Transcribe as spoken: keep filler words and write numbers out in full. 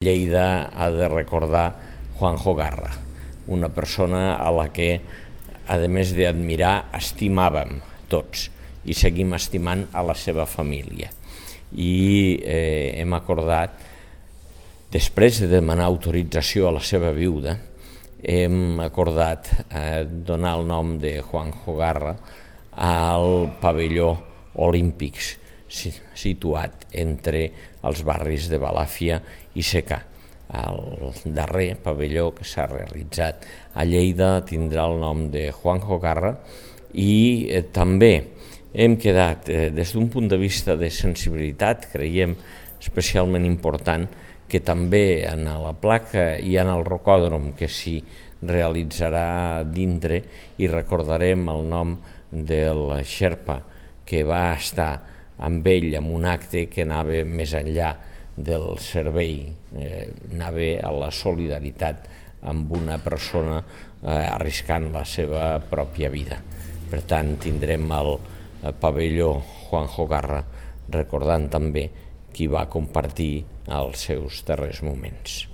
Lleida ha de recordar Juanjo Garra, una persona a la que, a més d'admirar, estimàvem tots i seguim estimant a la seva família. I eh, hem acordat, després de demanar autorització a la seva viuda, hem acordat eh, donar el nom de Juanjo Garra al pavelló Olímpics, situat entre els barris de Balàfia i Secà. El darrer pavelló que s'ha realitzat a Lleida tindrà el nom de Juanjo Garra i eh, també hem quedat, eh, des d'un punt de vista de sensibilitat, creiem especialment important que també en la placa i en el rocòdrom que s'hi realitzarà dintre hi recordarem el nom del xerpa que va estar amb ell en un acte que anava més enllà del servei, eh, anava a la solidaritat amb una persona eh, arriscant la seva pròpia vida. Per tant, tindrem el, el pavelló Juanjo Garra recordant també qui va compartir els seus darrers moments.